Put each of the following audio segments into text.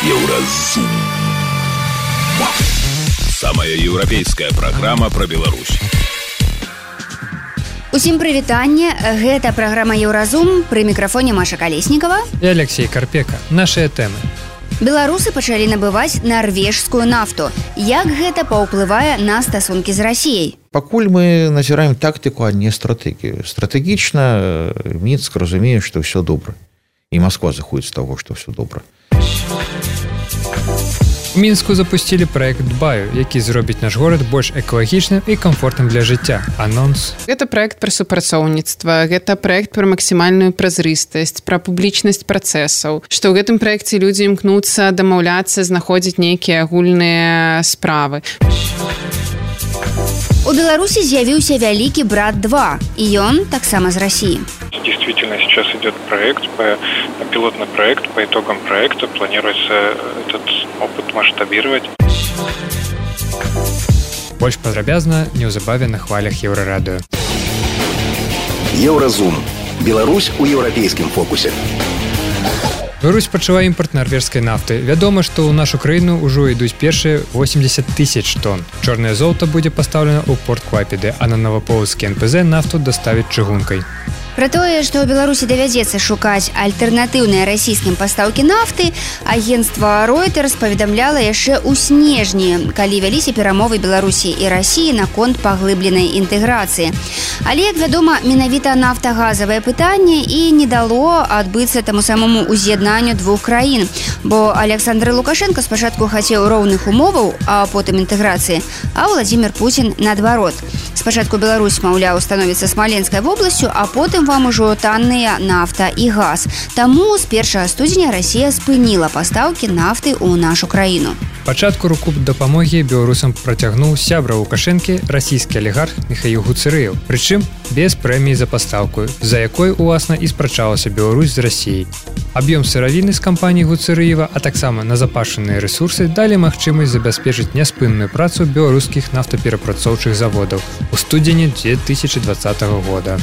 Еўразум. Самая еўрапейская праграма пра Беларусь. Усім прывітанне. Гэта праграма Еўразум, пры мікрафоне Маша Калеснікава і Алексей Карпека. Нашыя тэмы. Беларусы пачалі набываць нарвежскую нафту. Як гэта паўплывае на стасункі з Расіяй? Пакуль мы назіраем тактыку, а не стратэгію. Стратэгічна Мінск разумее, што ўсё добра. І Масква заходзіць з таго, што ўсё добра. У Мінску запусцілі праект Дбаю, які зробіць наш горад больш экалагічным і камфортным для жыцця. Анонс. Гэта праект пра супрацоўніцтва, гэта праект пра максімальную празрыстасць, пра публічнасць працэсаў, што ў гэтым праекце людзі імкнуцца дамаўляцца, знаходзіць нейкія агульныя справы. У Беларусі з'явіўся вялікі брат 2, і ён таксама з Расіі. Действительно, сейчас идет пилотный проект. По итогам проекта планируется этот опыт масштабировать. Больш падрабязна неўзабаве на хвалях Еўрарадыё. Еўразум. Беларусь у еўрапейскім фокусе. Беларусь пачала імпорт нарвежскай нафты. Вядома, што ў нашу краіну ўжо ідуць першыя 80 тысяч тонн. Чорнае золата будзе пастаўлена ў порт Клайпеды, а на Новаполацкі НПЗ нафту даставяць чыгункай. Пра тое, што ў Беларусі давядзецца шукаць альтэрнатыўныя расійскім пастаўкі нафты, агенцтва Reuters паведамляла яшчэ ў снежні, калі вяліся перамовы Беларусі і Расіі наконт паглыбленай інтэграцыі. Але, як вядома, менавіта нафтагазавае пытанне і не дало адбыцца таму самому уз'яднанню двух краін, бо Александр Лукашенко спачатку хацеў роўных умоваў, а потым інтэграцыі, а Владзімір Пуцін наадварот. Спачатку Беларусь, маўляў, становіцца смаленскай вобласцю, а потым вам ужо танныя нафта і газ. Таму з 1 студзеня Расія спыніла пастаўкі нафты ў нашу краіну. Пачатку руку дапамогі беларусам працягнуў сябра Лукашэнкі расійскі алігарх Міхаіл Гуцэрыеў, прычым без прэміі за пастаўку, за якой, уласна, і спрачалася Беларусь з Расіяй. Аб'ём сыравіны з кампаніі Гуцэрыева, а таксама назапашаныя рэсурсы далі магчымасць забяспечыць няспынную працу беларускіх нафтаперапрацоўчых заводаў у студзені 2020 года.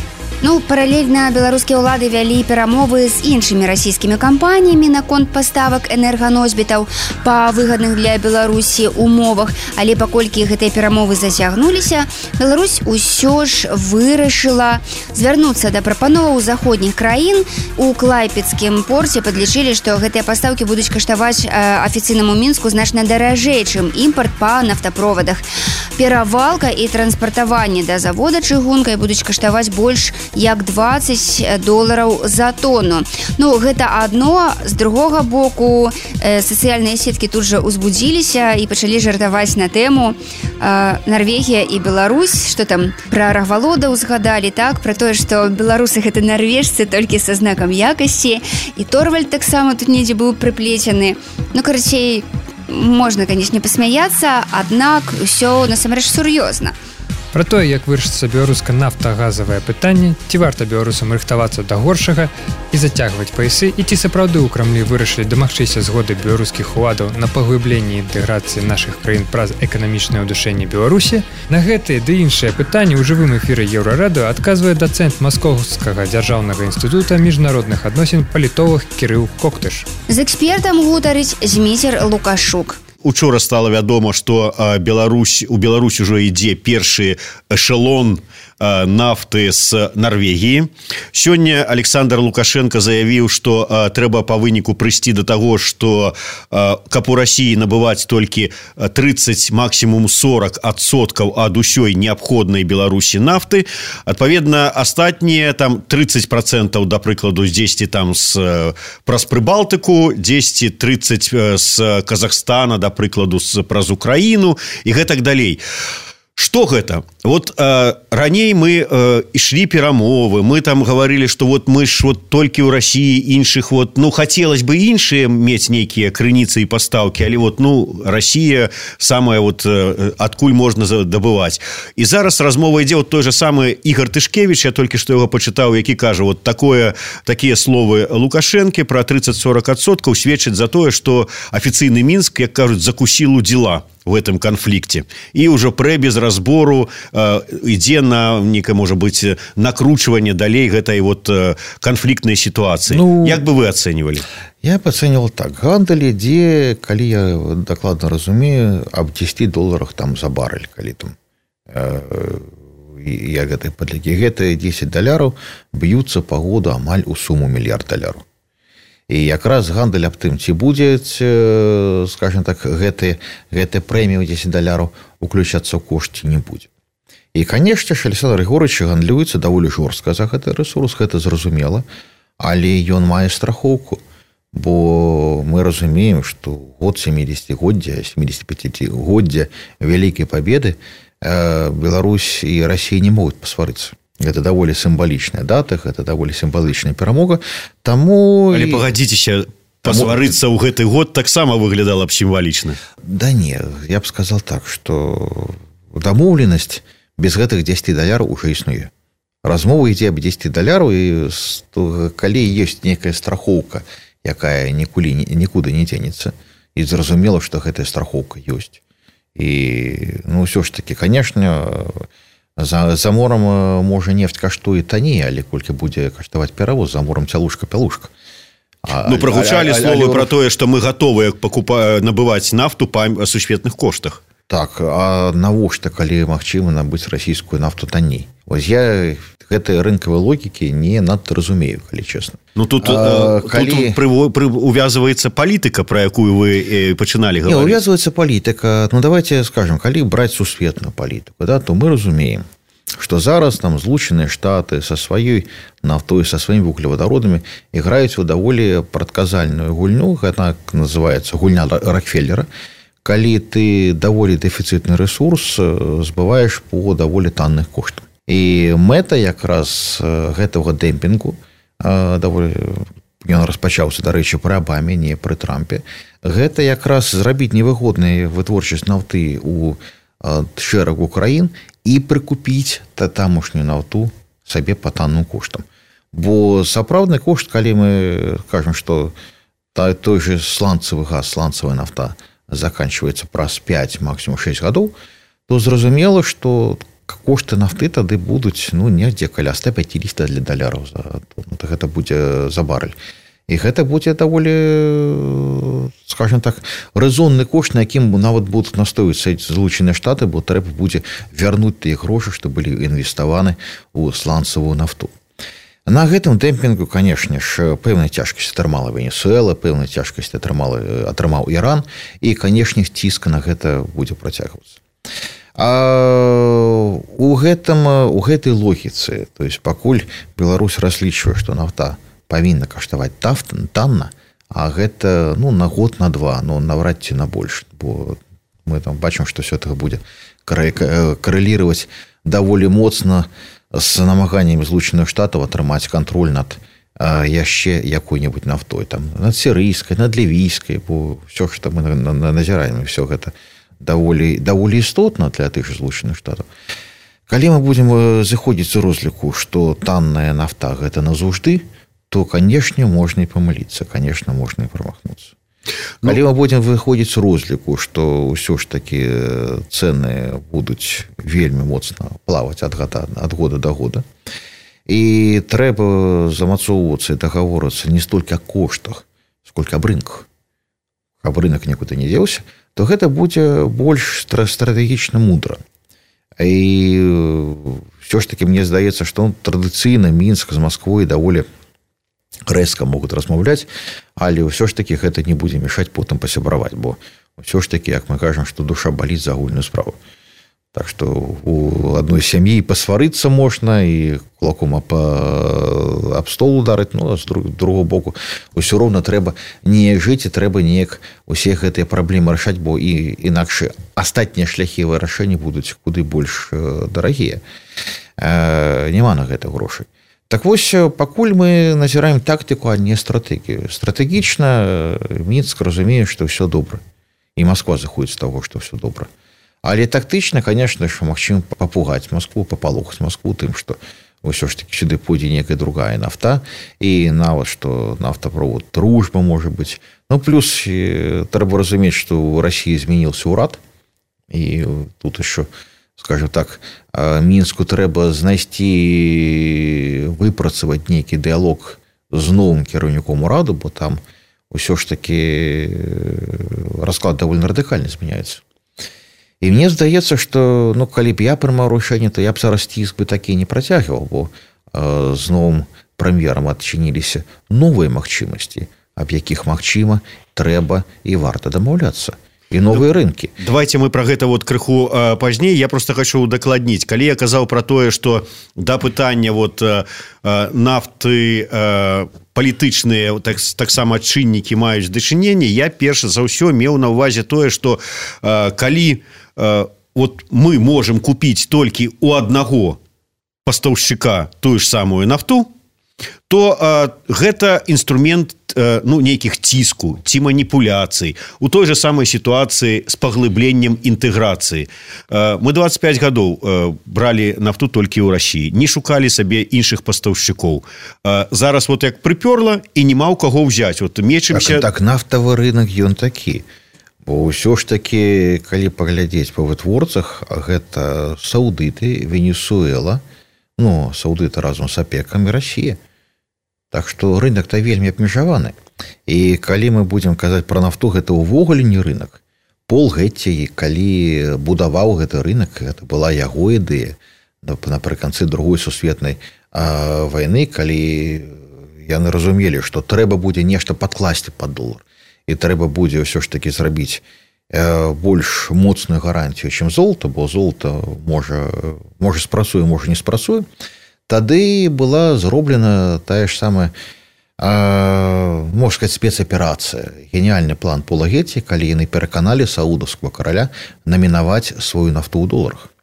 Паралельна беларускія ўлады вялі перамовы з іншымі расійскімі кампаніямі наконт паставак энерганосьбітаў па выгадных для Беларусі умовах, але паколькі гэтыя перамовы зацягнуліся, Беларусь усё ж вырашыла звярнуцца да прапановаў заходніх краін. У Клайпедскім порце падлічылі, што гэтыя пастаўкі будуць каштаваць афіцыйнаму Мінску значна даражэй, чым імпарт па нафтаправадах. Перавалка і транспартаванне да завода чыгункай будуць каштаваць больш як $20 за тонну. Гэта адно. З другога боку, сацыяльныя сеткі тут жа узбудзіліся і пачалі жартаваць на тэму Нарвегія і Беларусь, што там пра рагвалода ўзгадалі, так, пра тое, што беларусы гэта нарвежцы толькі са знакам якасці, і Торвальд таксама тут недзе быў прыплецены. Карацей, можна, канечне, пасмяяцца, аднак усё насамрэч сур'ёзна. Пра тое, як вырашыцца беларуска-нафтагазавае пытанне, ці варта беларусам рыхтавацца да горшага і зацягваць паясы, і ці сапраўды ў Крамлі вырашылі дамагчыся згоды беларускіх уладаў на паглыбленні інтэграцыі нашых краін праз эканамічнае ўдушэнне Беларусі, на гэтыя ды іншыя пытанні ў жывым эфіры Еўрарадыё адказвае дацэнт Маскоўскага дзяржаўнага інстытута міжнародных адносін палітолог Кірыл Коктыш. З экспертам гутарыць Зміцер Лукашук. Учора стала вядома, што у Беларусь ужо ідзе першы эшелон нафты з Нарвегіі. Сёння Александр Лукашенко заявіў, што трэба па выніку прыйсці да таго, што каб у Расіі набываць толькі 30, максімум 40% ад усёй неабходнай Беларусі нафты. Адпаведна, астатнія там 30%, да прыкладу, дзесьці там праз Прыбалтыку, дзесьці 30% з Казахстана, да прыкладу, праз Украіну і гэтак далей. Што гэта? Раней мы ішлі перамовы, мы там гаварылі, што мы ж толькі ў Расіі іншых, хацелось бы іншыя мець нейкія крыніцы і пастаўкі, але Расія самая адкуль можна дабываць. І зараз размова ідзе той же самы Ігор Тышкевіч, я толькі што яго пачытаў, які кажа, такія словы Лукашэнкі пра 30-40% сведчаць за тое, што афіцыйны Мінск, як кажуць, закусіл у дзела в этом конфликте. И уже без разбору ідзе на некое, может быть, накручивание далей гэтай конфликтной ситуации. Як бы вы оценивали? Я пацэньвал так. Гандаль ідзе, калі я дакладна разумею, аб $10 там за барэль, калі там я гэтай падлікі. Гэтыя $10 б'юцца па году амаль у суму $1 мільярд. І якраз гандаль аб тым, ці будзе, скажем так, гэтыя прэміі ў $10 уключацца ў кошт, ці не будзе. І, канешне ж, Александр Григорович гандлюецца даволі жорстка за гэты рэсурс, гэта зразумела, але ён мае страхоўку, бо мы разумеем, што год 70-годдзя, 75-годдзя Вялікай Пабеды Беларусь і Расія не могуць пасварыцца. Гэта даволі сімвалічная дата, гэта даволі сімвалічная перамога. Таму... Але пагадзіцеся, пасварыцца ў гэты год таксама выглядала б сімвалічна. Да не, я б сказал так, што дамоўленасць без гэтых $10 уже існуе. Размова ідзе аб $10, і калі ёсць нейкая страхоўка, якая нікуды не дзенецца, і зразумела, што гэтая страхоўка ёсць. І, ўсё ж такі, канешне, за морам, можа, нефть каштуе танней, але колькі будзе каштаваць перавоз, за морам цялушка-пялушка. Прагучалі словы пра тое, што мы гатовыя набываць нафту па сусветных коштах. Так, а навошта, калі магчыма набыць расійскую нафту танней? Вось я гэтай рынкавай логікі не надта разумею, калі чэсна. Тут увязываецца палітыка, пра якую вы пачыналі гаварыць. Не, увязываецца палітыка. Давайте скажем, калі браць сусветную палітыку, то мы разумеем, што зараз там Злучаныя Штаты са сваёй нафтой, са сваімі вуглевадародамі іграюць у даволі прадказальную гульню, гэта называецца гульня Рокфеллера, калі ты даволі дэфіцытны рэсурс збываеш по даволі танных коштах. І мэта якраз гэтага дэмпінгу, ён распачаўся, дарэчы, пры Абаме, не пры Трампе, гэта якраз зрабіць невыгоднай вытворчасць нафты ў шэрагу краін і прыкупіць тамошнюю нафту сабе па танным коштам. Бо сапраўдны кошт, калі мы кажам, што той же сланцавы газ, сланцавая нафта заканчивается праз 5, максимум 6 гадоў, то зразумела, што кошты нафты тады будуць недзе каля $150 за тонну. Гэта будзе за барэль. І гэта будзе даволі, скажем так, рэзонны кошт, на якім нават будуць настойвацца Злучаныя Штаты, бо трэба будзе вярнуць тыя грошы, што былі інвеставаны ў сланцавую нафту. На гэтым дэмпінгу, канешне ж, пэўная цяжкасць атрымала Венесуэла, пэўная цяжкасць атрымаў Іран, і, канешне, ціск на гэта будзе працягвацца. А у гэтай логіцы, то есть пакуль Беларусь разлічвае, што нафта павінна каштаваць танна, а гэта на год, на два, навряд ці на больш, бо мы там бачым, што ўсё-таки будзе карэліраваць даволі моцна з намаганнямі Злучаных Штатаў атрымаць кантроль над яшчэ якой-небудзь нафтой, там, над сірыйскай, над лівійскай, бо ўсё, што мы назіраем, ўсё гэта даволі істотна для тых же Злучаных Штатаў. Калі мы будзем зыходзіць з розліку, што танная нафта гэта назаўжды, то, канешне, можна і памыліцца, канешне, можна і прамахнуцца. Калі мы будзем выходзіць з розліку, што ўсё ж такі цэны будуць вельмі моцна плаваць ад года да года, і трэба замацоўвацца і дагаворыцца не столькі о коштах, сколькі аб рынках. Аб рынак нікуды не дзеўся, то гэта будзе больш стратэгічна мудра. І ўсё ж такі мне здаецца, што традыцыйна Мінск з Масквой даволі рэзка могуць размаўляць, але ўсё ж такі гэта не будзе мешаць потым пасябраваць, бо ўсё ж такі, як мы кажам, што душа баліць за агульную справу. Так што у адной сям'і пасварыцца можна і кулаком аб стол ударыць, а з другого боку ўсё роўна трэба неяк жыць і трэба неяк усе гэтыя праблемы рашаць, бо і інакш астатнія шляхі вырашэння будуць куды больш дарагія. Няма на гэта грошай. Так вось, пакуль мы назіраем тактыку, а не стратэгію. Стратэгічна Мінск разумее, што ўсё добра. І Масква заходзіць з таго, што ўсё добра. Але тактычна, конечно ж, магчыма папугаць Маскву, папалохаць Маскву тым, што ўсё ж таки сюды пойдзе некая другая нафта, і нават, што нафтаправод дружба можа быць. Плюс трэба разумець, што ў Расіі змяніўся ўрад, і тут яшчэ, скажем так, Мінску трэба знайсці, выпрацаваць нейкі дыялог з новым кіраўніком ураду, бо там ўсё ж таки расклад довольно радыкальна змяняецца. І мне здаецца, што калі б я прымаў рашэнне, то я б зараз ціск бы такі не працягваў, бо з новым прэм'ерам адчыніліся новыя магчымасці, аб якіх магчыма, трэба і варта дамаўляцца. І новыя рынкі. Давайте мы про гэта вот крыху пазней. Я просто хочу удакладніць. Калі я казаў про тое, што да пытання вот нафты палітычныя таксама чыннікі маюць дачыненне, я перш за ўсё меў на ўвазе тое, што калі вот мы можем купіць толькі у аднаго пастаўшчыка тую ж самую нафту, то гэта інструмент нейкіх ціску ці маніпуляцый у той же самай сітуацыі з паглыбленнем інтэграцыі. Мы 25 гадоў бралі нафту толькі ў Расіі, не шукалі сабе іншых пастаўшчыкоў. Зараз вот як прыпёрла і нема ў каго ўзяць. Вот мечымся... Так нафтавы рынок ён такі. Бо ўсё ж такі, калі паглядзець па вытворцах, гэта Саудыты, Венесуэла, Саудыты разам з ОПЕКам і Расія. Так што рынок-то вельмі абмежаваны. І калі мы будзем казаць пра нафту, гэта ўвогуле не рынок. Пол Гетці, калі будаваў гэты рынок, гэта была яго ідэя напрыканцы Другой сусветнай вайны, калі яны разумелі, што трэба будзе нешта падкласці пад долар. І трэба будзе ўсё ж такі зрабіць больш моцную гарантію, чым золата, бо золата можа спрацуе, можа не спрацуе. Тады была зроблена тая ж самая, можна сказаць, спецаперацыя. Геніальны план Пола Гетці, калі яны пераканалі саудаўскага караля намінаваць сваю нафту ў доларах.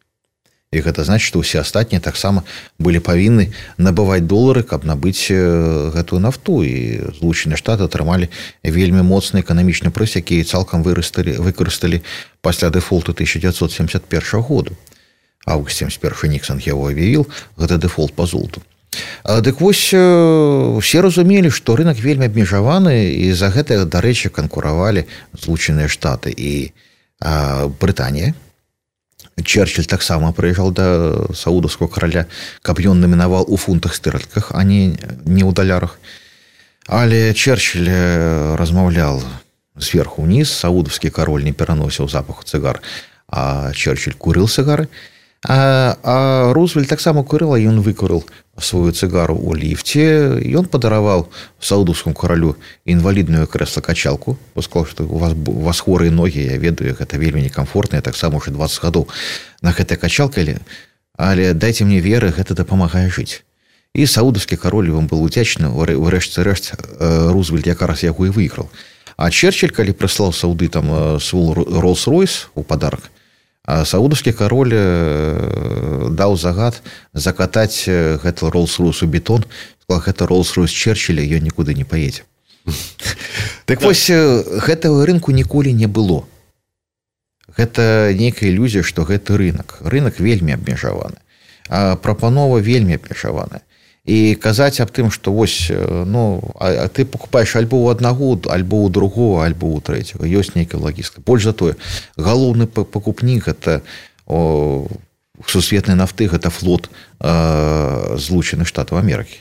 І гэта значыць, што ўсе астатнія таксама былі павінны набываць долары, каб набыць гэтую нафту. І Злучаныя Штаты атрымалі вельмі моцны эканамічны прыз, які цалкам выкарысталі пасля дэфолту 1971 году. Август 71 Ніксон яго аб'явіў, гэта дэфолт па золоту. Дык вось, усе разумелі, што рынок вельмі абмежаваны, і за гэта, дарэчы, канкуравалі Злучаныя Штаты і Брытанія. Черчилль таксама прыязджаў да саудаўскага караля, каб ён намінаваў у фунтах стерлінгах, а не ў далярах. Але Черчилль размаўлял зверху ўніз, саудаўскі кароль не пераносіў запаху цыгар, а Черчилль курыў цыгары. А Рузвельт таксама курыў, а ён выкурыў сваю цыгару ў ліфце. Ён падараваў саудаўскому каралю інвалідную крэсла-качалку. Сказаў, што у вас хворыя ногі, я ведаю, гэта вельмі некамфортна, я таксама ўжо 20 гадоў на гэтай качалке, але дайце мне веры, гэта дапамагае жыць. І саудаўскі кароль ён быў удзячны, урэшце-рэшт Рузвельт якраз яго і выйграў. А Черчилль, калі прыслаў саудытам свой Роллс-Ройс у падарак, а саудаўскі кароль даў загад закатаць гэты Роллс-Ройс у бетон, сказал, гэта Роллс-Ройс Черчилля, ён нікуды не паедзе. Так вось, гэтага рынку ніколі не было. Гэта нейкая ілюзія, што гэты рынок. Рынок вельмі абмежаваны. А прапанова вельмі абмежаваная. І казаць аб тым, што вось, а ты покупаеш альбо ў аднаго, альбо ў другого, альбо ў трэцяга. Ёсць нейкая лагістыка. Больш за тое, галоўны пакупнік гэта сусветнай нафты, гэта флот Злучаных Штатаў Амерыкі.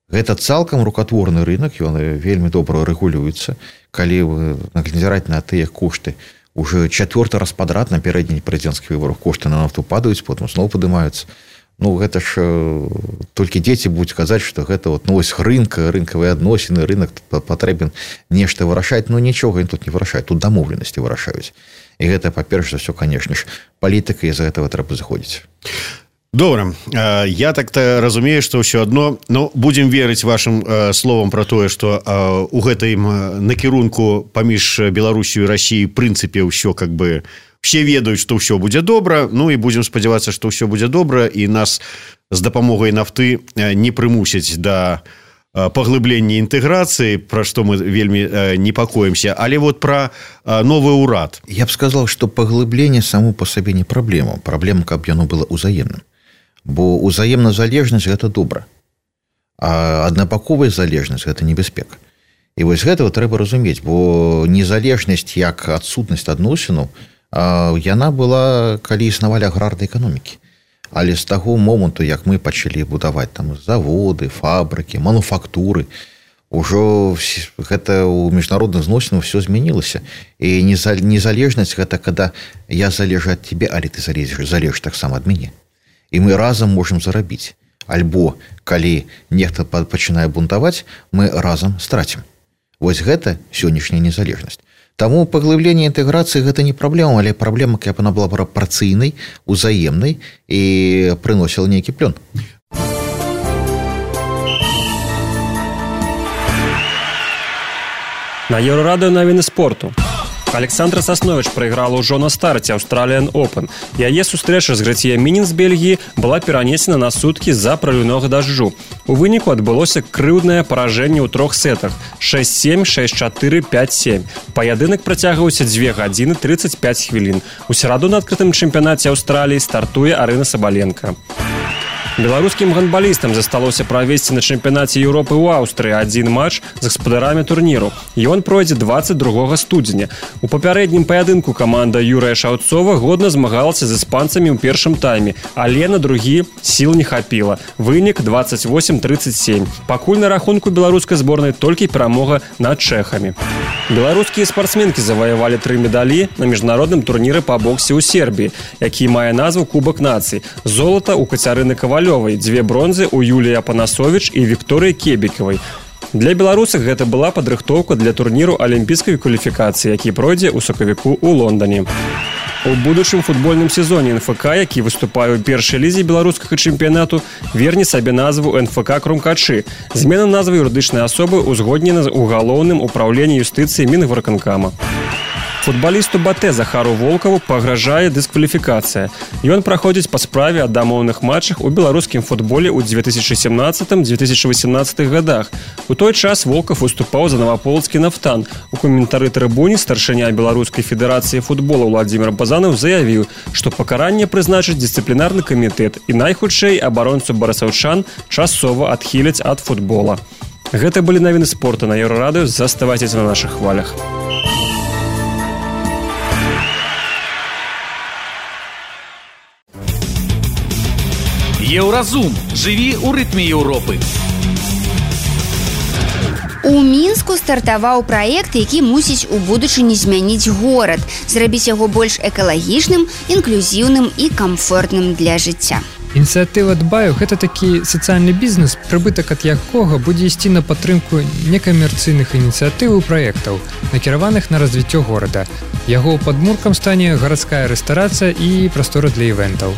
Гэта цалкам рукатворны рынок, ён вельмі добра рэгулюецца. Калі назіраць на тыя кошты, уже 4-й раз падрад на пярэдніх прэзідэнцкіх выбарах кошты на нафту падаюць, потым зноў падымаюцца. Гэта ж толькі дзеці будуць казаць, што гэта вось рынкавыя адносіны, рынок патрэбен нешта вырашаць, нічога тут не вырашаюць, тут дамоўленасці вырашаюць. І гэта, па-перш за ўсё, канешне ж, палітыка, і за гэтага трэба заходзіць. Добра, я так-то разумею, што ўсё адно, будзем верыць вашым словам пра тое, што у гэтым накірунку паміж Беларусію і Расіяй в прынцыпе ўсё как бы все ведаюць, што ўсё будзе добра, і будзем спадзявацца, што ўсё будзе добра, і нас з дапамогай нафты не прымусяць да паглыблення інтэграцыі, пра што мы вельмі непакоімся. Але вот пра новы ўрад. Я б сказал, што паглыбленне само па сабе не праблема. Праблема, каб яно было ўзаемным. Бо ўзаемная залежнасць – гэта добра. А аднабаковая залежнасць – гэта небяспека. І вось гэтага трэба разумець, бо незалежнасць як адсутнасць адносінаў яна была, калі існавалі аграрнай эканомікі. Але з таго моманту, як мы пачалі будаваць там заводы, фабрыкі, мануфактуры, Ужо гэта ў міжнародных зносінах все змянілася. І незалежнасць гэта когда я залежу ад тебе, але ты залежиш таксама ад мяне. І мы разам можам зарабіць. Альбо калі нехта пачынае бунтаваць, мы разам страцім. Вось гэта сённяшняя незалежнасць. Таму паглыбленне інтэграцыі гэта не праблема, але праблема, каб яна была прапарцыйнай, узаемнай і прыносіла нейкі плён. На Еўрарадыё навіны спорту. Александра Сасновіч прайграла ўжо на старце Australian Open. Яе сустрэча з Грэція Мінін з Бельгіі была перанесена на суткі з-за праліўнога дажджу. У выніку адбылося крыўднае паражэнне ў 3 сетах 6-7, 6-4, 5-7. Паядынак працягваўся 2 гадзіны 35 хвілін. У сераду на адкрытым чэмпіянаце Аўстраліі стартуе Арына Сабаленка. Беларускім гандбалістам засталося правесці на чэмпіянаце Еўропы ў Аўстрыі адзін матч з гаспадарамі турніру. Ён пройдзе 22 студзеня. У папярэднім паядынку каманда Юрыя Шаўцова годна змагалася з іспанцамі ў першым тайме, але на другі сіл не хапіла. Вынік 28-37. Пакуль на рахунку беларускай зборнай толькі перамога над чэхамі. Беларускія спартсменкі заваявалі 3 медалі на міжнародным турніры па боксе ў Сербіі, які мае назву Кубак нацый. Золата ў Кацярыны Кавалёвай, 2 бронзы ў Юліі Апанасовіч і Вікторыі Кебікавай. Для беларусак гэта была падрыхтоўка для турніру алімпійскай кваліфікацыі, які пройдзе ў сакавіку ў Лондоне. У будучым футбольным сезоне НФК, які выступае ў першай лізе беларускага чэмпіянату, верне сабе назву НФК Крумкачы. Змена назвы юрыдычнай асобы узгоднена ў галоўным управленні юстыцыі Мінвыканкама. Футбалісту Батэ Захару Волкаву пагражае дыскваліфікацыя. Ён праходзіць па справе о дамоўных матчах у беларускім футболе ў 2017-2018 годах. У той час Волков выступаў за Новополоцкі Нафтан. У каментары трыбуне старшыня Беларускай федэрацыі футбола Владимир Базанов заявіў, што пакаранне прызначыць дысцыплінарны камітэт і найхутчэй абаронцу барысаўчан часова адхіляць ад футбола. Гэта былі навіны спорта на Еўрарадыё. Заставайцеся на нашых хвалях. Еўразум. Жыві ў рытме Еўропы. У Мінску стартаваў праект, які мусіць у будучыні змяніць горад, зрабіць яго больш экалагічным, інклюзіўным і камфортным для жыцця. Ініцыятыва Дбаю – гэта такі сацыяльны бізнес, прыбытак ад якога будзе ісці на падтрымку некамерцыйных ініцыятыў і праектаў, накіраваных на развіццё горада. Яго падмуркам стане гарадская рэстарацыя і прастора для івентаў.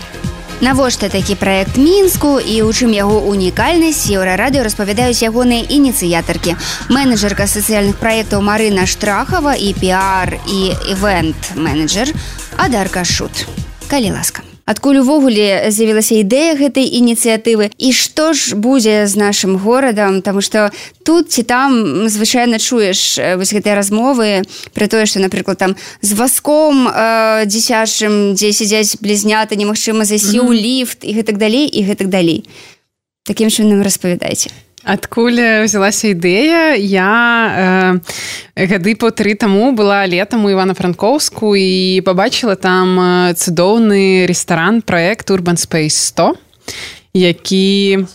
Навошта такі праект Мінску і ў чым яго унікальнасць, Еўрарадыё распавядаюць ягоныя ініцыятаркі. Менеджерка сацыяльных праектаў Марына Штрахава і піар і івент-менеджер Адарка Шут. Калі ласка. Адкуль увогуле з'явілася ідэя гэтай ініцыятывы і што ж будзе з нашым горадам, таму што тут ці там звычайна чуеш вось гэтыя размовы пра тое, што, напрыклад, там з вазком дзіцячым, дзе сядзяць блізняты, немагчыма зайсці ў ліфт і гэтак далей, і гэтак далей. Такім чынам распавядайце. Адкуль взялася ідэя? Я гады по 3 таму была летам у Івана-Франкоўску і пабачыла там цудоўны рэстаран, праект Urban Space 100, які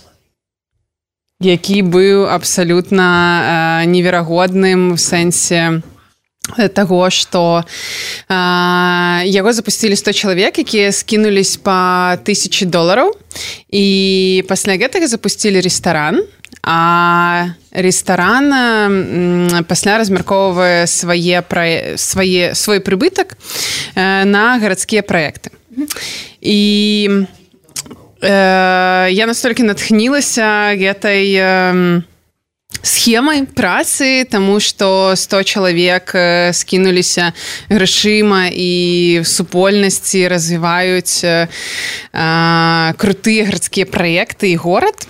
быў абсалютна неверагодным в сэнсе таго, што яго запусцілі 100 чалавек, якія скінулись па $1000, і пасля гэтага запусцілі рэстаран, а рэстаран пасля размяркоўвае свой прыбытак на гарадскія праекты. І я настолькі натхнілася гэтай схемай працы, таму што 100 чалавек скінуліся грашыма і в супольнасці развіваюць крутыя гарадскія праекты і горад,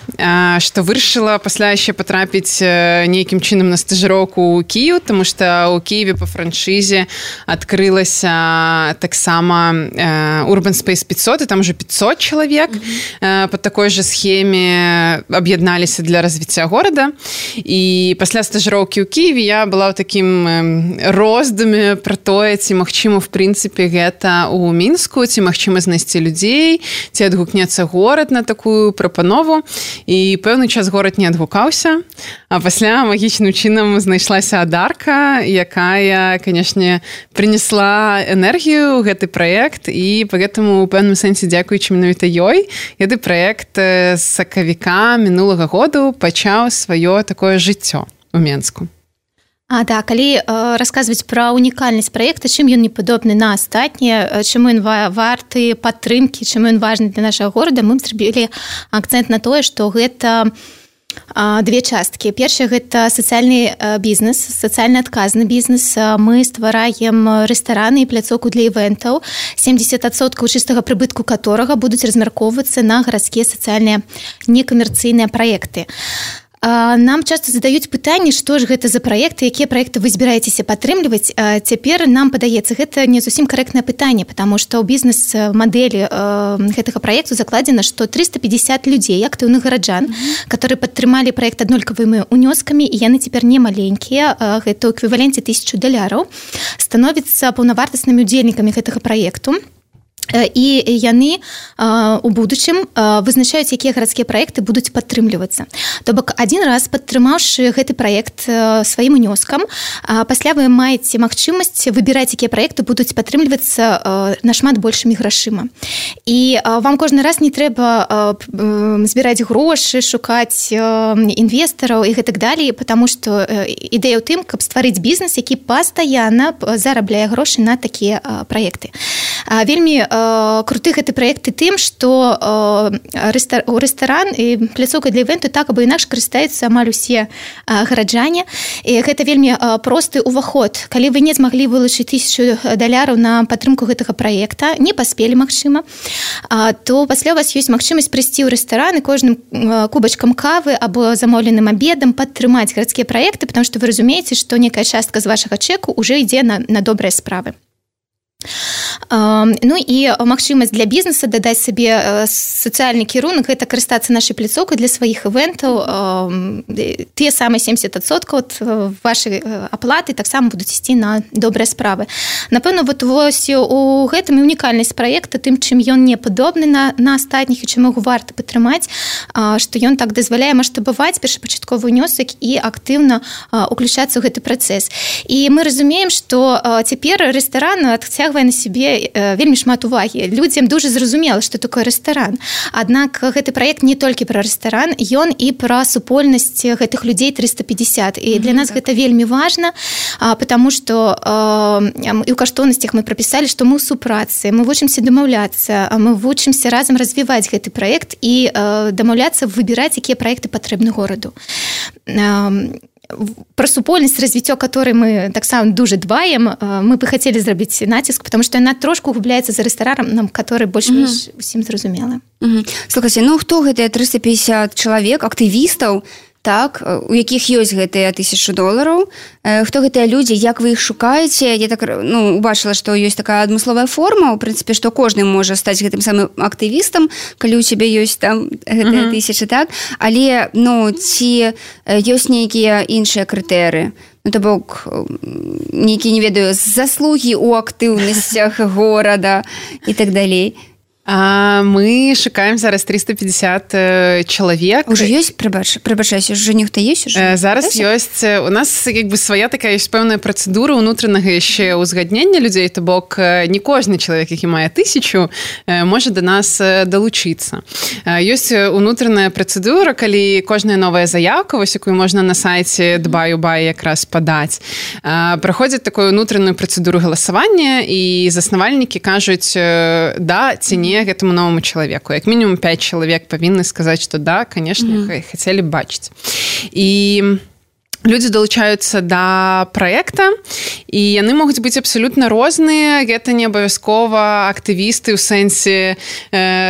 што вырашыла пасля яшчэ патрапіць нейкім чынам на стажыроўку ў Кіеў, таму што ў Кіеве па франшызе адкрылася таксама Urban Space 500, і там уже 500 чалавек па такой жа схеме аб'ядналіся для развіцця горада. І пасля стажыроўкі ў Кіеве я была ў такім роздуме пра тое, ці магчыма в прынцыпе гэта ў Мінску, ці магчыма знайсці людзей, ці адгукнецца горад на такую прапанову. І пэўны час горад не адгукаўся, а пасля магічным чынам знайшлася Адарка, якая, канешне, прынесла энергію ў гэты праект, і па гэтаму у пэўным сэнсе дзякуючы менавіта ёй гэты праект з сакавіка мінулага году пачаў сваё такое жыццё у Менску. Да, калі расказваць пра унікальнасць праекта, чым ён не падобны на астатнія, чым ён варты падтрымкі, чым ён важны для нашага горада, мы зрабілі акцэнт на тое, што гэта две часткі. Першая – гэта сацыяльны бізнес, сацыяльна адказны бізнес. Мы ствараем рэстараны і пляцоўку для івентаў, 70% чыстага прыбытку которага будуць размяркоўвацца на гарадскія сацыяльныя некамерцыйныя праекты. Нам часто задаюць пытанне, што ж гэта за праекты, якія праекты вы збіраецеся падтрымліваць. Цяпер нам падаецца, гэта не зусім карэктнае пытанне, потому што ў бізнес-мадэлі гэтага праекту закладзена, што 350 людзей, актыўных гараджан, которые падтрымалі праект аднолькавымі унёскамі, і яны цяпер не маленькія, гэта ў эквіваленце $1000, становяцца паўнавартаснымі удзельнікамі гэтага праекту. І яны у будучым вызначаюць, якія гарадскія праекты будуць падтрымлівацца. То бок, адзін раз падтрымаўшы гэты праект сваім унёскам, пасля вы маеце магчымасць выбіраць, якія праекты будуць падтрымлівацца нашмат большымі грашыма. І вам кожны раз не трэба збіраць грошы, шукаць інвестараў і гэтак далей, потому што ідэя ў тым, каб стварыць бізнес, які пастаянна зарабляе грошы на такія праекты. Вельмі круты гэты праекты тым, што рэстаран і пляцоўка для івенту так або інакш карыстаюцца амаль усе гараджане. І гэта вельмі просты ўваход. Калі вы не змаглі вылучыць $1000 на падтрымку гэтага праекта, не паспелі, магчыма, то пасля у вас ёсць магчымасць прыйсці ў рэстаран і кожным кубачкам кавы або замоўленым абедам падтрымаць гарадскія праекты, потому што вы разумееце, што некая частка з вашага чэку ўжо ідзе на добрыя справы. Ну і магчымасць для бізнеса дадаць сабе сацыяльны кірунак, гэта карыстацца нашай пляцоўкай для сваіх івентаў. Тыя самыя 70% вашай аплаты таксама будуць ісці на добрыя справы. Напэўна, вось у гэтым і унікальнасць праекта, тым, чым ён не падобны на астатніх і чым яго варта падтрымаць, што ён так дазваляе маштабаваць першапачатковы ўнёсак і актыўна уключацца ў гэты працэс. І мы разумеем, што цяпер рэстаран адцягвае на сябе вельмі шмат увагі. Людзям дуже зразумела, што такое рэстаран. Аднак гэты праект не толькі пра рэстаран, ён і пра супольнасць гэтых людзей 350. І для нас гэта вельмі важна, потому што і ў каштоўнасцях мы прапісалі, што мы ў супрацы, мы вучымся дамаўляцца, мы вучымся разам развіваць гэты праект і дамаўляцца выбіраць, якія праекты патрэбны гораду. Про супольнасць, развіццё которой мы таксама дуже дбаем, мы бы хацелі зрабіць націск, потому што яна трошку губляецца за рэстаранам, который больш-менш усім зразумела. Слухайце, ну хто гэтыя 350 чалавек, актывістаў, так, у якіх ёсць гэтыя $1000? Хто гэтыя людзі, як вы іх шукаеце? Я так, убачыла, што ёсць такая адмысловая форма, у прынцыпе, што кожны можа стаць гэтым самым актывістам, калі ў цябе ёсць там гэтыя 1000, так? Але, ці ёсць нейкія іншыя крытэрыі? То бок, нейкія, не ведаю, заслугі ў актыўнасцях горада і так далей. Мы шукаем зараз 350 чалавек. Уже ёсць, прабачайся, уже нехто ёсць уже? Зараз ёсць. У нас як бы свая такая ёсць пэўная працэдура ўнутранага яшчэ ўзгаднення людзей, то бок не кожны чалавек, які мае 1000, можа да нас далучыцца. Ёсць унутраная працэдура, калі кожная новая заяўка, вось якую можна на сайце Дбаю-Бай якраз падаць, праходзіць такую унутраную працэдуру галасавання, і заснавальнікі кажуць да ці не гэтаму новому чалавеку. Як мінімум 5 чалавек павінны сказаць, што да, канешне, хацелі б бачыць. І Людзі далучаюцца да праекта, і яны могуць быць абсалютна розныя. Гэта не абавязкова актывісты ў сэнсе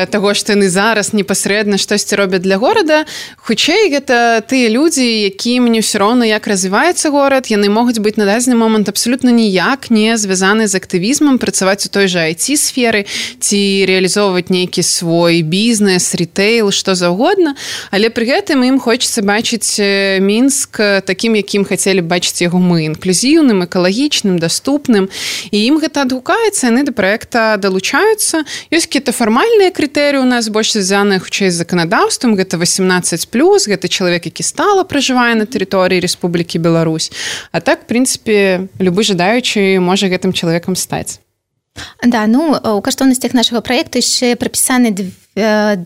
таго, што яны зараз непасрэдна штосьці робяць для горада. Хутчэй, гэта тыя людзі, якім не ўсё роўна, як развіваецца горад. Яны могуць быць на дадзены момант абсалютна ніяк не звязаны з актывізмам, працаваць у той жа IT-сферы ці рэалізоўваць нейкі свой бізнес, ритэйл, што заўгодна. Але пры гэтым ім хочацца бачыць Мінск такім, якім хацелі б бачыць яго мы, інклюзіўным, экалагічным, даступным. І ім гэта адгукаецца, яны да праекта далучаюцца. Ёсць какие-то фармальныя крытэрыі у нас, больш звязаныя хутчэй з заканадаўствам. Гэта 18+, гэта чалавек, які стала пражывае на тэрыторыі Рэспублікі Беларусь. А так, в прынцыпе, любы жадаючы можа гэтым чалавекам стаць. Да, у каштоўнасцях нашага праекта яшчэ прапісаны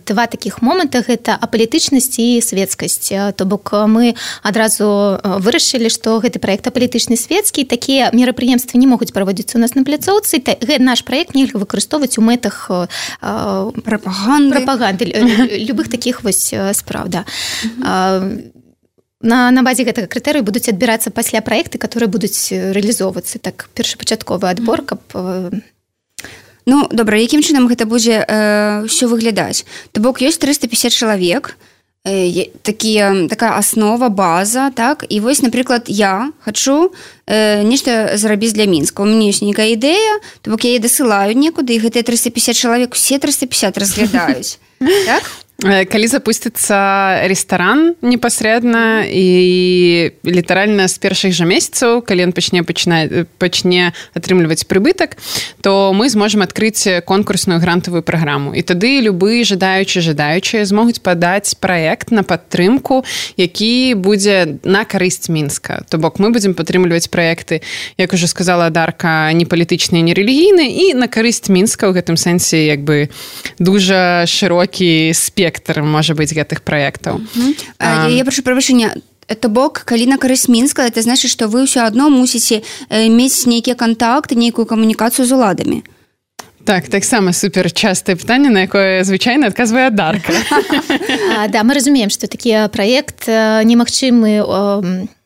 два такіх моманта, гэта апалітычнасць і светскасць. То бок мы адразу вырашылі, што гэты праект апалітычны светскі, такія мерапрыемствы не могуць праводзіцца у нас на пляцоўцы. Наш праект нельга выкарыстоўваць у мэтах прапаганды любых такіх вось спраў. Да. На базе гэтага крытэрыю будуць адбірацца пасля праекты, которые будуць рэалізоўвацца. Так, першапачатковы адбор, каб... Ну, добра, якім чынам гэта будзе ўсё выглядаць? То бок ёсць 350 чалавек, такая аснова, база, так? І вось, напрыклад, я хачу нешта зрабіць для Мінска. У мяне ёсць нейкая ідэя, то бок я яе дасылаю некуды, і гэтыя 350 чалавек, усе 350 разглядаюць. Так? Калі запусціцца рэстаран непасрэдна і літаральна з першых жа месяцаў, калі ён пачне атрымліваць прыбытак, то мы зможам адкрыць конкурсную грантавую праграму. І тады любы жадаючыя змогуць падаць праект на падтрымку, які будзе на карысць Мінска. То бок мы будзем падтрымліваць праекты, як ужо сказала Дарка, не палітычныя, не рэлігійныя, і на карысць Мінска ў гэтым сэнсе як бы дужа шырокі спектр можа быць гэтых праектаў. Я прашу прабачэння, то бок, калі на карысць Мінска, это значыць, што вы ўсё адно мусіце мець нейкія кантакты, нейкую камунікацыю з уладамі. Так, таксама супер частае пытанне, на якое звычайна адказвае Дарка. Да, мы разумеем, што такі праект немагчымы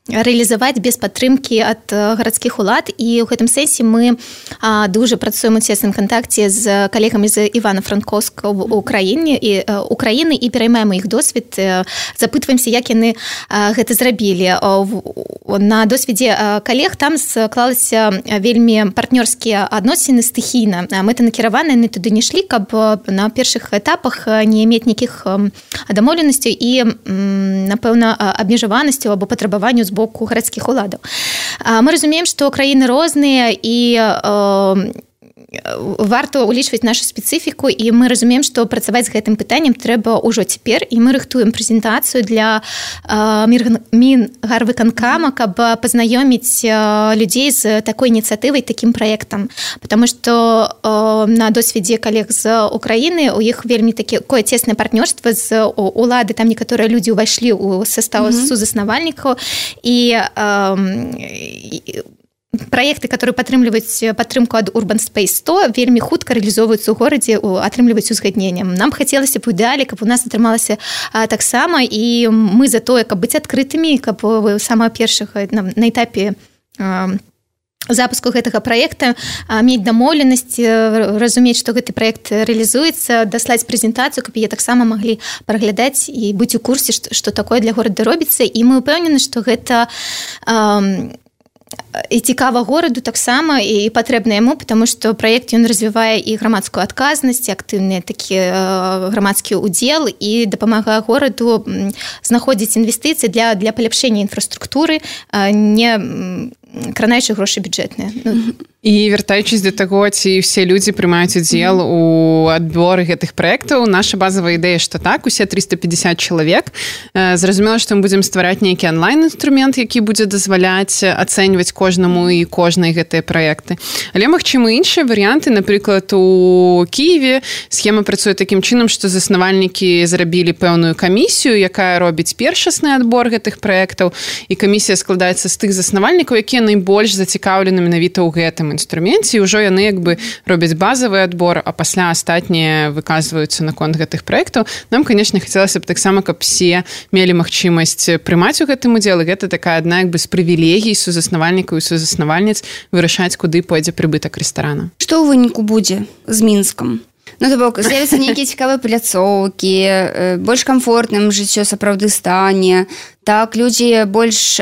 рэалізаваць без падтрымкі ад гарадскіх улад, і ў гэтым сэнсе мы дужа працуем у цесным кантакце з калегамі з Івана-Франкоўска ў Украіне і пераймаем іх досвед, запытваемся, як яны гэта зрабілі. На досведзе калег там склалася вельмі партнёрскія адносіны стыхійна. Мэтанакіраваныя яны туды не шлі, каб на першых этапах не мець нейкіх дамоўленасцяў і, напэўна, абмежаванасцяў або патрабаванняў з боку гарадскіх уладаў. Мы разумеем, што краіны розныя і варта ўлічваць нашу спецыфіку, і мы разумеем, што працаваць з гэтым пытаннем трэба ўжо цяпер, і мы рыхтуем прэзентацыю для Мінгарвыканкама, каб пазнаёміць людзей з такой ініцыятывай, такім праектам. Потому што на досведзе калег з Украіны у іх вельмі такое цеснае партнёрства з улады, там некаторыя людзі ўвайшлі ў састаў сузаснавальнікаў, і праекты, которые падтрымліваюць падтрымку ад Urban Space 100, вельмі хутка рэалізоўваюцца ў горадзе, атрымліваюць узгадненнем. Нам хацелася б у ідэале, каб у нас атрымалася таксама, і мы за тое, каб быць адкрытымі, каб самага першага на этапе запуску гэтага праекта мець дамоўленасць, разумець, што гэты праект рэалізуецца, даслаць прэзентацыю, каб яе таксама маглі праглядаць і быць у курсе, што такое для горада робіцца. І мы ўпэўнены, што гэта і цікава гораду таксама і патрэбна яму, потому што праект ён развівае і грамадскую адказнасць, актыўны такі грамадскі ўдзел, і дапамагае гораду знаходзіць інвестыцыі для паляпшэння інфраструктуры, не кранаючы грошы бюджэтныя. І вяртаючись до таго, ці все людзі прымаюць удзел у адборы гэтых праектаў, наша базавая ідэя, што так, усе 350 чалавек. Зразумела, што мы будзем ствараць нейкі онлайн-інструмент, які будзе дазваляць ацэньваць кожнаму і кожнай гэтыя праекты. Але магчымы іншыя варыянты, напрыклад, у Кіеве схема працуе такім чынам, што заснавальнікі зрабілі пэўную камісію, якая робіць першасны адбор гэтых праектаў, і камісія складаецца з тых заснавальнікаў, якія найбольш зацікаўлены менавіта ў гэтым інструменце, і ўжо яны як бы робяць базавы адбор, а пасля астатнія выказваюцца наконт гэтых праектаў. Нам, конечно, хацелася б таксама, каб все мелі магчымасць прымаць у гэтым удзел, і гэта такая адна як бы з прывілегій сузаснавальнікаў і сузаснавальніц вырашаць, куды пойдзе прыбытак рэстарана. Што ў выніку будзе з Мінскам? Ну, то бок, з'явяцца нейкія цікавыя пляцоўкі, больш камфортным жыццё сапраўды стане, так людзі больш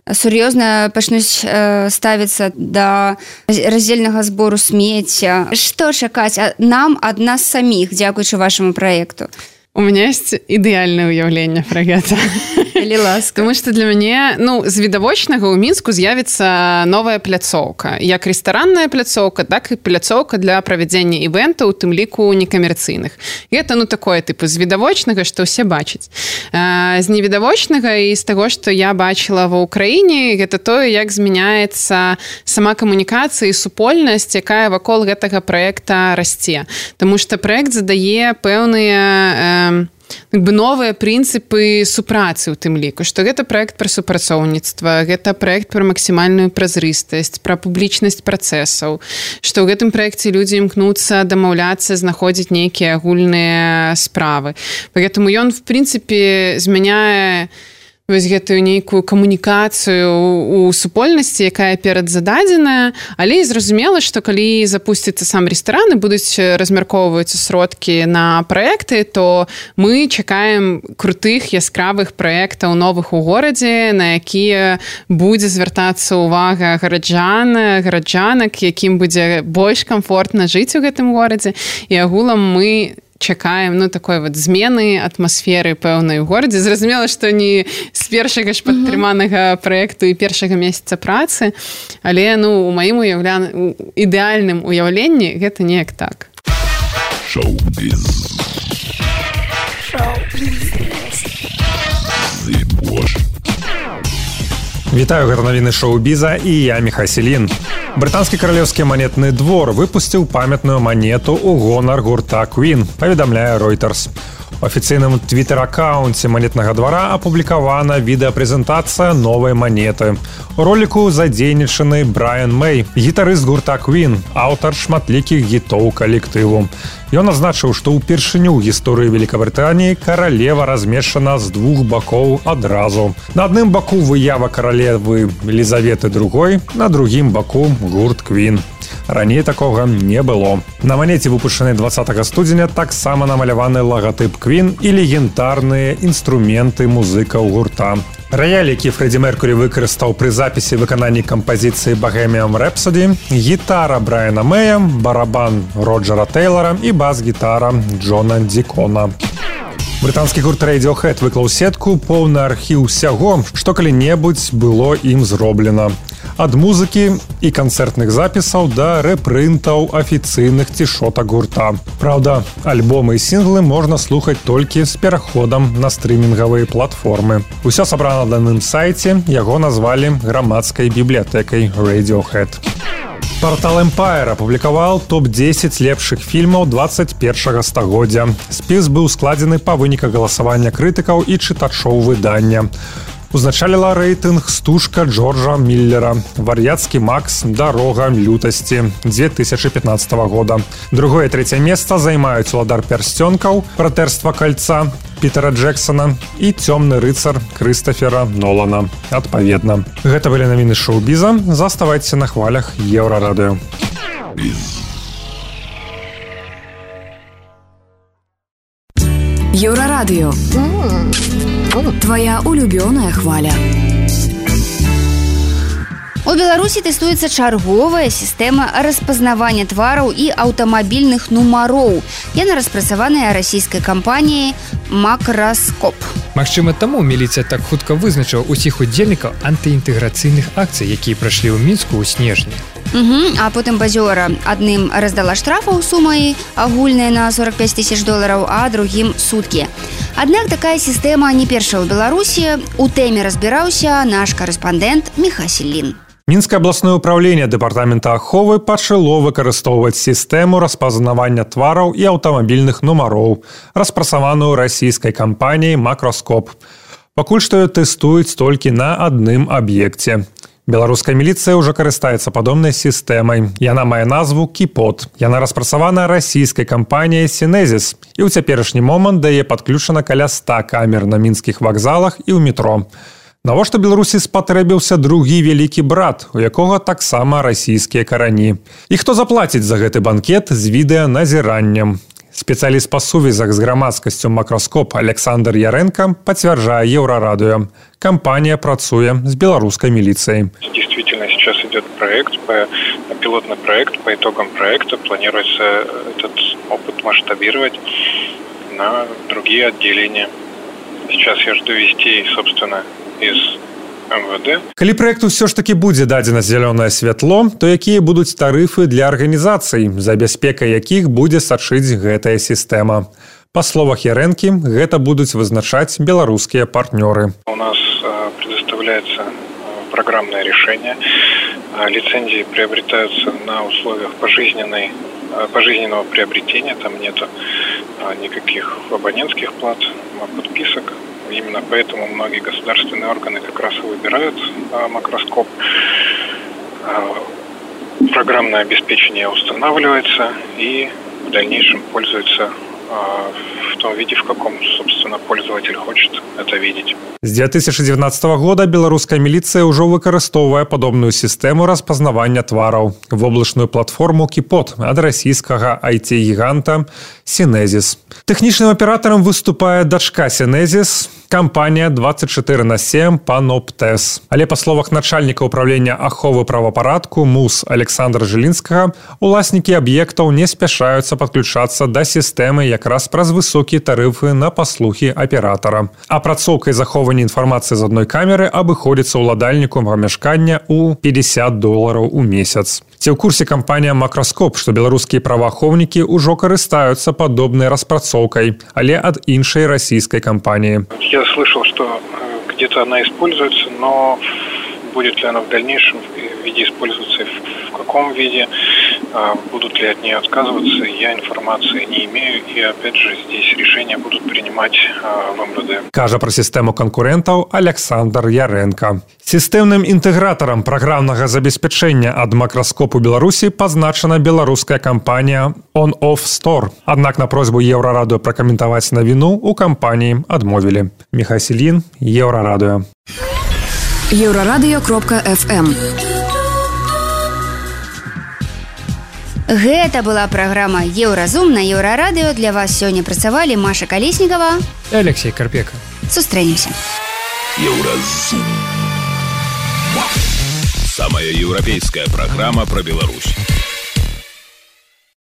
сур'ёзна пачнуць ставіцца да раздзельнага збору смецця. Што чакаць нам ад нас саміх, дзякуючы вашаму праекту? У меня есть ідэальнае ўяўленне пра гэта. Калі ласка. Тому што для мяне, з відавочнага ў Мінску з'явіцца новая пляцоўка. Як рэстаранная пляцоўка, так і пляцоўка для правядзення івентаў, у тым ліку некамерцыйных. І гэта, такое, з відавочнага, што ўсе бачаць. З невідавочнага і з таго, што я бачыла ва ўкраіне, гэта тое, як змяняецца сама камунікацыя і супольнасць, якая вакол гэтага праекта расце. Таму што праект задае пэўныя новыя прынцыпы супрацы ў тым ліку, што гэта праект пра супрацоўніцтва, гэта праект пра максімальную празрыстасць, пра публічнасць працэсаў, што ў гэтым праекце людзі імкнуцца дамаўляцца, знаходзіць нейкія агульныя справы. Поэтому ён, в прынцыпе, змяняе вось гэтую нейкую камунікацыю у супольнасці, якая перадзададзеная, але і зразумела, што калі запусціцца сам рэстаран і будуць размяркоўваюцца сродкі на праекты, то мы чакаем крутых, яскравых праектаў новых у горадзе, на якія будзе звяртацца ўвага гараджанак, якім будзе больш камфортна жыць у гэтым горадзе. І агулам мы чакаем такой змены атмасферы пэўнай у горадзе. Зразумела, што не з першага ж падтрыманага праекту і першага месяца працы, але у маім ідэальным уяўленні гэта неяк так. Шоу-біз. Вітаю, гэта навіны шоу-біза і я Міхай Селін. Брытанскі каралеўскі манетны двор выпусціў памятную манету ў гонар гурта Queen, паведамляе Reuters. У афіцыйным твітэр-акаунце манетнага двара апублікавана відэапрэзентацыя новай манеты. У роліку задзейнічаны Брайан Мэй, гітарыст гурта Queen, аўтар шматлікіх гітоў калектыву. Ён адзначыў, што ўпершыню ў гісторыі Великабрытаніі каралева размешчана з двух бакоў адразу. На адным баку выява каралевы Елізаветы II, на другім баку гурт Queen. Раней такога не было. На манеце, выпушчанай 20 студзеня, таксама намаляваны лагатып Queen і легендарныя інструменты музыкаў гурта. Раяль, які Фрэдзі Меркурі выкарыстаў пры запісе выкананні кампазіцыі Bohemian Rhapsody, гітара Брайана Мэя, барабан Роджера Тэйлара і бас-гітара Джона Дікона. Брытанскі гурт Radiohead выклаў сетку поўны архіў усяго, што калі-небудзь было ім зроблена. Ад музыкі і канцэртных запісаў да рэпрынтаў афіцыйных цішотак гурта. Праўда, альбомы і сінглы можна слухаць толькі з пераходам на стрымінгавыя платформы. Усё сабрана на адным сайце, яго назвалі грамадскай бібліятэкай Radiohead. Партал Empire апублікаваў топ-10 лепшых фільмаў 21 стагоддзя. Спіс быў складзены па выніках галасавання крытыкаў і чытачоў выдання. Узначаліла рэйтынг «Стужка» Джорджа Миллера, «Вар'яцкі Макс. Дарога лютасці» 2015 года. Другое і трэцяе месца займаюць «Уладар пярсцёнкаў», «Братэрства кальца» Пітера Джексона і «Цёмны рыцар» Крыстофера Нолана. Адпаведна. Гэта былі навіны шоу-біза. Заставайцеся на хвалях Еўрарадыё. Еўрарадыё. Твоя улюбёная хваля. У Беларусі тэстуецца чарговая сістэма распазнавання твараў і аўтамабільных нумароў. Яна распрацаваная расійскай кампаніяй «Макроскоп». Магчыма, таму міліцыя так хутка вызначыла ўсіх удзельнікаў антыінтэграцыйных акцый, якія прайшлі ў Мінску ў снежні. А потым базёра адным раздала штрафаў сумай агульнай на $45 000, а другім суткі. Аднак такая сістэма не першая ў Беларусі. У тэме разбіраўся наш карэспандэнт Міхай Селін. Мінскае абласнае ўпраўленне дэпартамента аховы пачало выкарыстоўваць сістэму распазнавання твараў і аўтамабільных нумароў, распрацаваную расійскай кампаніяй «Макроскоп». Пакуль што тэстуюць толькі на адным аб'екце. Беларуская міліцыя ўжо карыстаецца падобнай сістэмай. Яна мае назву «Кіпот». Яна распрацавана расійскай кампаніяй «Сінезіс». І ў цяперашні момант да яе падключана каля 100 камер на мінскіх вакзалах і ў метро. Навошта Беларусі спатрэбіўся другі вялікі брат, у якога таксама расійскія карані. І хто заплаціць за гэты банкет з відэаназіраннем? Спецыяліст па сувязях з грамадскасцю «Макроскоп» Александр Яренко пацвярджае Еўрарадыё. Компания працуе с белорусской милицией. Действительно, сейчас идет пилотный проект. По итогам проекта планируется этот опыт масштабировать на другие отделения. Сейчас я жду вестей, собственно, из МВД. Калі проекту все ж таки будзе дадзена зялёнае святло, то якія будуць тарыфы для арганізацый, за бяспекай якіх будзе сачыць гэтая сістэма? Па словах Ярэнкі, гэта будуць вызначаць беларускія партнёры. У нас предоставляется программное решение. Лицензии приобретаются на условиях пожизненного приобретения. Там нету никаких абонентских плат, подписок. Именно поэтому многие государственные органы как раз и выбирают «Макроскоп». Программное обеспечение устанавливается и в дальнейшем пользуется в том виде, в каком, собственно, пользователь хочет это видеть. З 2019 года беларуская міліцыя ўжо выкарыстоўвае падобную сістэму распазнавання твараў, воблачную платформу «Кіпот» ад расійскага IT-гіганта «Сінезіс». Тэхнічным аператарам выступае дачка «Сінезіс», кампанія 24/7 «Паноптес». Але па словах начальніка ўправлення аховы правапарадку МУС Александра Жылінскага, уласнікі аб'ектаў не спяшаюцца падключацца да сістэмы якраз праз высокія тарыфы на паслугі аператара. Апрацоўка і захоўванне інфармацыі з адной камеры абыходзіцца ўладальніку памяшкання ў $50 у месяц. Ці ў курсе кампанія «Макроскоп», што беларускія праваахоўнікі ўжо карыстаюцца падобнай распрацоўкай, але ад іншай расійскай кампаніі. Я слышал, что где-то она используется, но будет ли она в дальнейшем виде использоваться, в каком виде, будут ли от нее отказываться, я информации не имею. И опять же, здесь решения будут принимать в МВД. Кажа пра сістэму канкурэнтаў Александр Яренко. Сістэмным інтэгратарам праграмнага забеспячэння ад «Макроскопу» Беларусі пазначана беларуская кампанія «On Off Store». Аднак на просьбу Еўрарадыё пракаментаваць навіну у кампаніі адмовілі. Михай Селін, Еўрарадыё. Еўрарадыё.фм. Гэта была праграма «Еўразум» на Еўрарадыё. Для вас сёння працавалі Маша Калеснікова и Алексей Карпека. Сустрэнемся. Еўразум. Самая европейская программа про Беларусь.